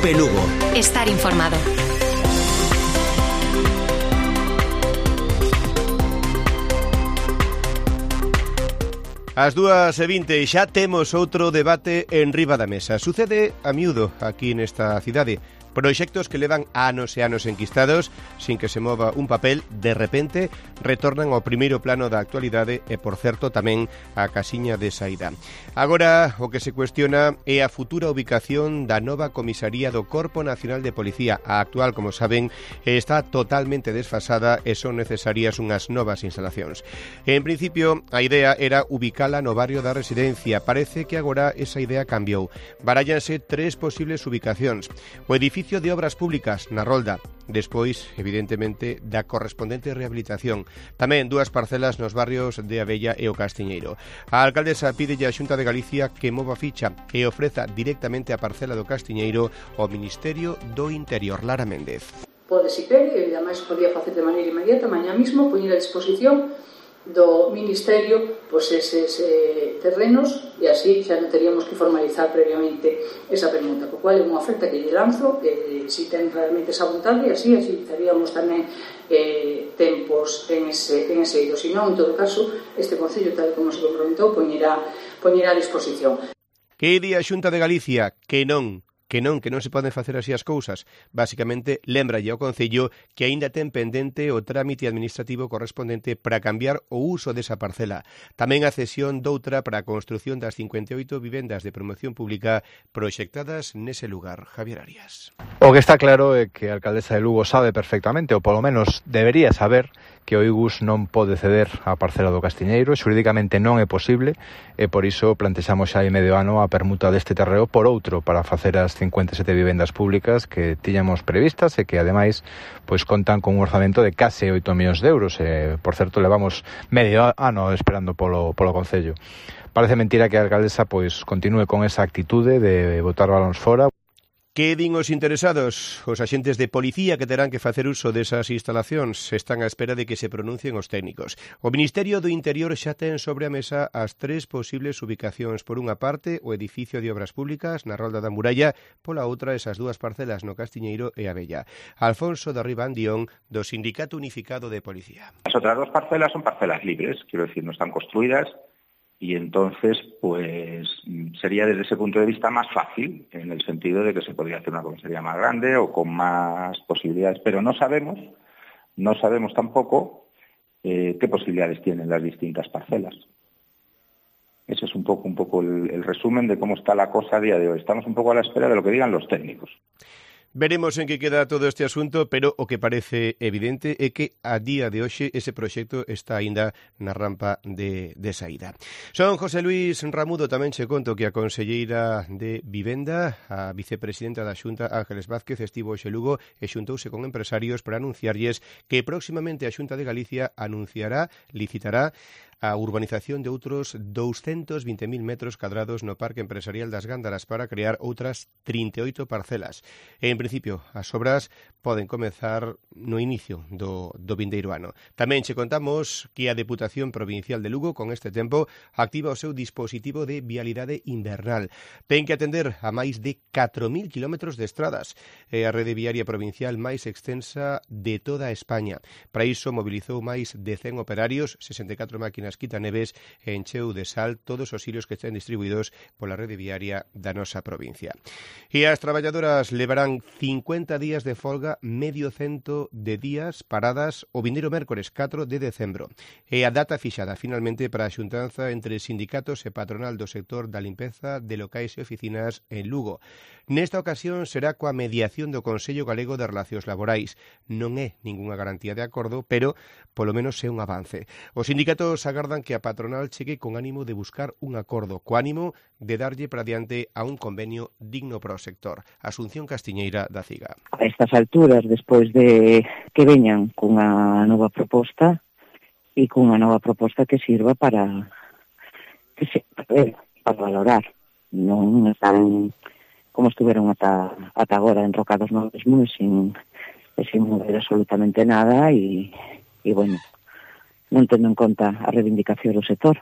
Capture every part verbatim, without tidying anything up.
Cope Lugo. Estar informado. As dúas e vinte xa temos outro debate en riba da mesa. Sucede a miúdo aquí nesta cidade. Proxectos que levan anos e anos enquistados sin que se mova un papel, de repente retornan ao primeiro plano da actualidade e, por certo, tamén a casiña de saída. Agora, o que se cuestiona é a futura ubicación da nova comisaría do Corpo Nacional de Policía. A actual, como saben, está totalmente desfasada e son necesarias unhas novas instalacións. En principio, a idea era ubicala no barrio da Residencia. Parece que agora esa idea cambiou. Barállanse tres posibles ubicacións. O edificio de Obras Públicas na Rolda, despois, evidentemente, da correspondente rehabilitación. Tamén dúas parcelas nos barrios de Abella e o Castiñeiro. A alcaldesa pídelle á Xunta de Galicia que mova ficha e ofreza directamente a parcela do Castiñeiro ao Ministerio do Interior. Lara Méndez. Pode se quere, e ademais podía facer de maneira inmediata, mañá mismo poñer a disposición do Ministerio pois eses eh, terrenos, e así xa non teríamos que formalizar previamente esa permuta, co cual é unha oferta que lle lanzo, eh, si ten realmente esa vontade, e así agilizaríamos tamén eh, tempos en ese, en ese eido. Si non, en todo caso, este Concello, tal como se comprometou, poñerá, poñerá a disposición. Que di a Xunta de Galicia? Que non. Que non, que non se poden facer así as cousas. Básicamente, lembralle ao Concello que aínda ten pendente o trámite administrativo correspondente para cambiar o uso desa parcela. Tamén a cesión doutra para a construción das cincuenta e oito vivendas de promoción pública proxectadas nese lugar. Javier Arias. O que está claro é que a alcaldesa de Lugo sabe perfectamente, ou polo menos debería saber, que o I G U S non pode ceder a parcela do Castiñeiro, xurídicamente non é posible, e por iso plantexamos xa hai medio ano a permuta deste terreo por outro para facer as cincuenta e sete vivendas públicas que tiñamos previstas e que ademais pois contan con un orzamento de case oito millóns de euros e, por certo, levamos medio ano esperando polo, polo Concello. Parece mentira que a alcaldesa pois continúe con esa actitude de botar balóns fora. Que din os interesados? Os axentes de policía que terán que facer uso desas instalacións están á espera de que se pronuncien os técnicos. O Ministerio do Interior xa ten sobre a mesa as tres posibles ubicacións. Por unha parte, o edificio de Obras Públicas na Rolda da Muralla, pola outra, esas dúas parcelas no Castiñeiro e Abella. Alfonso de Ribandión, do Sindicato Unificado de Policía. As outras dos parcelas son parcelas libres, quiero decir, no están construidas, y entonces pues sería desde ese punto de vista más fácil, en el sentido de que se podría hacer una comisaría más grande o con más posibilidades, pero no sabemos, no sabemos tampoco eh, qué posibilidades tienen las distintas parcelas. Ese es un poco, un poco el, el resumen de cómo está la cosa a día de hoy. Estamos un poco a la espera de lo que digan los técnicos. Veremos en que queda todo este asunto, pero o que parece evidente é que a día de hoxe ese proxecto está aínda na rampa de, de saída. Son José Luis Ramudo, tamén che conto que a conselleira de Vivenda, a vicepresidenta da Xunta, Ángeles Vázquez, estivo hoxe Lugo e xuntouse con empresarios para anunciarlles que próximamente a Xunta de Galicia anunciará, licitará a urbanización de outros doscientos veinte mil metros cadrados no Parque Empresarial das Gándaras para crear outras trinta e oito parcelas. En principio, as obras poden comezar no inicio do, do vindeiro ano. Tamén che contamos que a Deputación Provincial de Lugo, con este tempo, activa o seu dispositivo de vialidade invernal. Ten que atender a máis de catro mil kilómetros de estradas. É a rede viaria provincial máis extensa de toda España. Para iso mobilizou máis de cen operarios, sesenta e catro máquinas quitaneves e encheu de sal todos os hilos que estén distribuídos pola rede viaria da nosa provincia. E as traballadoras levarán cincuenta días de folga, medio cento de días paradas o vindeiro mércores catro de decembro. E a data fixada finalmente para a xuntanza entre sindicatos e patronal do sector da limpeza de locais e oficinas en Lugo. Nesta ocasión será coa mediación do Consello Galego de Relacións Laborais. Non é ningunha garantía de acordo, pero polo menos é un avance. Os sindicatos agardan que a patronal chegue con ánimo de buscar un acordo, co ánimo de darlle para diante a un convenio digno para o sector. Asunción Castiñeira da CIGA. A estas alturas, despois de que veñan cunha nova proposta e cunha nova proposta que sirva para que se, para valorar, non están como estuveron ata, ata agora enrocados no mesmo e sin, e sin mover absolutamente nada e, e bueno, non tendo en conta a reivindicación do sector.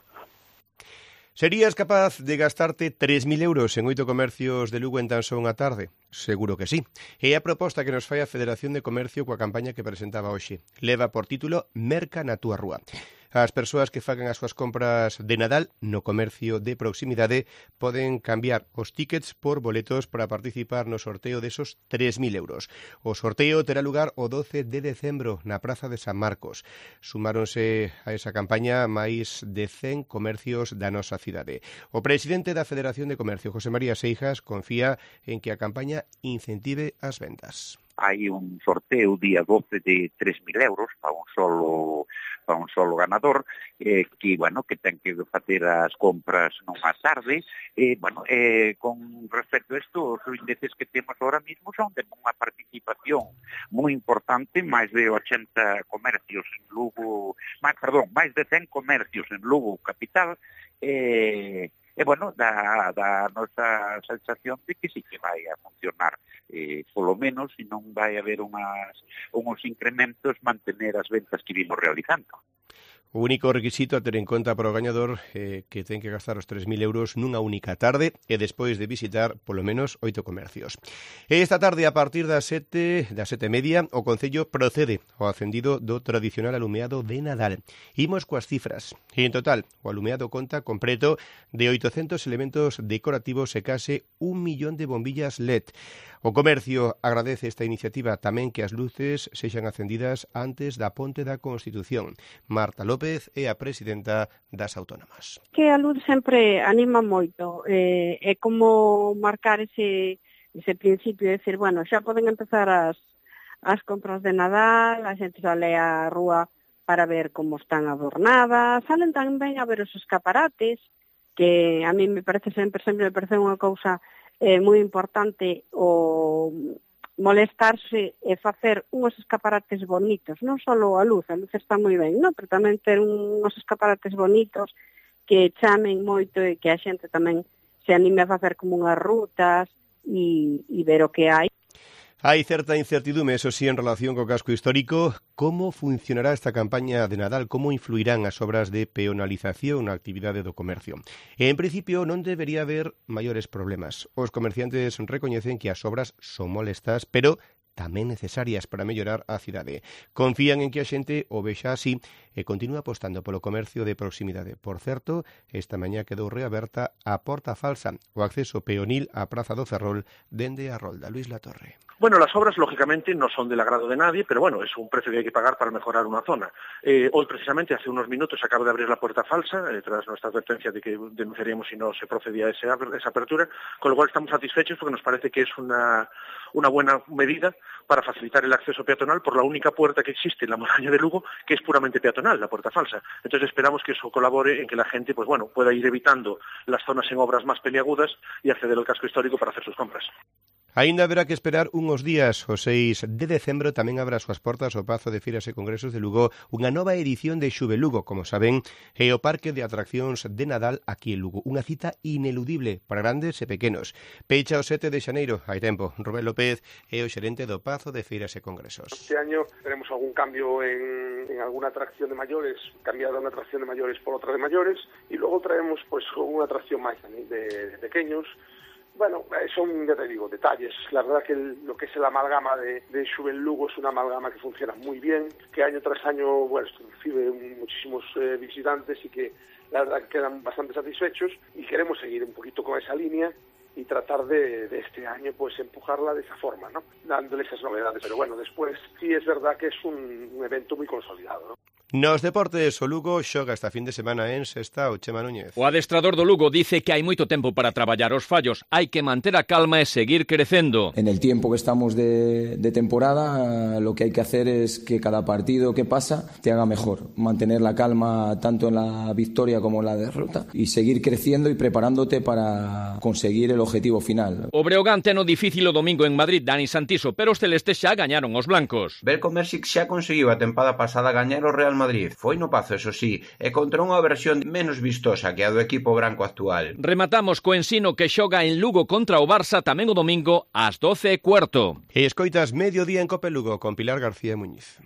Serías capaz de gastarte tres mil euros en oito comercios de Lugo en tan só unha tarde? Seguro que sí. E a proposta que nos fai a Federación de Comercio coa campaña que presentaba hoxe. Leva por título Merca na túa rúa. As persoas que fagan as súas compras de Nadal no comercio de proximidade poden cambiar os tickets por boletos para participar no sorteo desos tres mil euros. O sorteo terá lugar o doce de decembro na Praza de San Marcos. Sumáronse a esa campaña máis de cen comercios da nosa cidade. O presidente da Federación de Comercio, José María Seijas, confía en que a campaña incentive as vendas. Hai un sorteo día doce de tres mil euros para un solo para un solo ganador, eh, que, bueno, que ten que facer as compras nunha tarde. Eh, bueno, eh, con respecto a isto, os índices que temos ahora mismo son de unha participación moi importante, máis de ochenta comercios en Lugo, máis, perdón, máis de cen comercios en Lugo capital, eh, E, bueno, da, da nosa sensación de que sí que vai a funcionar, eh, polo menos, se non vai haber unhas, unhos incrementos, mantener as ventas que vimos realizando. O único requisito a ter en conta para o gañador é eh, que ten que gastar os tres mil euros nunha única tarde e despois de visitar polo menos oito comercios. E esta tarde, a partir das sete, das sete e media, o Concello procede ao acendido do tradicional alumeado de Nadal. Imos coas cifras. E en total, o alumeado conta completo de oitocentos elementos decorativos e case un millón de bombillas L E D. O comercio agradece esta iniciativa, tamén que as luces sexan acendidas antes da Ponte da Constitución. Marta López é a presidenta das Autónomas. Que a luz sempre anima moito, eh, é como marcar ese, ese principio de decir, bueno, xa poden empezar as, as compras de Nadal, a xente sale á rúa para ver como están adornadas, salen tamén a ver os escaparates, que a mí me parece sempre, sempre me parece unha cousa é moi importante o molestarse e facer unhos escaparates bonitos, non só a luz, a luz está moi ben, non? Pero tamén ter unhos escaparates bonitos que chamen moito e que a xente tamén se anime a facer como unhas rutas e, e ver o que hai. Hai certa incertidume, eso sí, en relación co casco histórico. Como funcionará esta campaña de Nadal? Como influirán as obras de peonalización na actividade do comercio? E, en principio, non debería haber maiores problemas. Os comerciantes recoñecen que as obras son molestas, pero tamén necesarias para mellorar a cidade. Confían en que a xente o vexa así e continúa apostando polo comercio de proximidade. Por certo, esta mañá quedou reaberta a Porta Falsa, o acceso peonil á Praza do Ferrol dende a Rolda. Luis Latorre. Bueno, las obras lógicamente no son del agrado de nadie, pero bueno, es un precio que hay que pagar para mejorar una zona. Eh, hoy precisamente, hace unos minutos, se acaba de abrir la Puerta Falsa, eh, tras nuestra advertencia de que denunciaríamos si no se procedía a ese, esa apertura, con lo cual estamos satisfechos porque nos parece que es una, una buena medida para facilitar el acceso peatonal por la única puerta que existe en la montaña de Lugo, que es puramente peatonal, la Puerta Falsa. Entonces esperamos que eso colabore en que la gente, pues bueno, pueda ir evitando las zonas en obras más peliagudas y acceder al casco histórico para hacer sus compras. Aínda haberá que esperar unhos días. O seis de decembro tamén abre as súas portas o Pazo de Feiras e Congresos de Lugo unha nova edición de Xuve Lugo, como saben, é o Parque de Atraccións de Nadal aquí en Lugo. Unha cita ineludible para grandes e pequenos. Pecha o sete de xaneiro, hai tempo. Rubén López é o xerente do Pazo de Feiras e Congresos. Este año tenemos algún cambio en, en alguna atracción de mayores, cambiada una atracción de mayores por otra de mayores, y luego traemos pues unha atracción máis de, de pequeños. Bueno, son, ya te digo, detalles. La verdad que el, lo que es la amalgama de, de Xuve Lugo es una amalgama que funciona muy bien, que año tras año, bueno, recibe muchísimos eh, visitantes y que la verdad que quedan bastante satisfechos, y queremos seguir un poquito con esa línea y tratar de, de este año pues empujarla de esa forma, ¿no? Dándole esas novedades. Pero bueno, después sí es verdad que es un, un evento muy consolidado, ¿no? Nos deportes, o Lugo xoga esta fin de semana en Sestao. Chema Núñez. O adestrador do Lugo dice que hai moito tempo para traballar os fallos. Hai que manter a calma e seguir crecendo. En el tiempo que estamos de, de temporada, lo que hay que hacer es que cada partido que pasa te haga mejor. Mantener la calma tanto en la victoria como en la derrota y seguir creciendo y preparándote para conseguir el objetivo final. O Breogán ten o difícil o domingo en Madrid, Dani Santiso, pero os celestes xa gañaron os blancos. Belko Mersic xa conseguiu a tempada pasada gañar o Real Madrid. Foi no Pazo, eso sí, e contra unha versión menos vistosa que a do equipo branco actual. Rematamos co Ensino, que xoga en Lugo contra o Barça tamén o domingo ás doce e cuarto. E escoitas Mediodía en Cope Lugo con Pilar García Muñiz.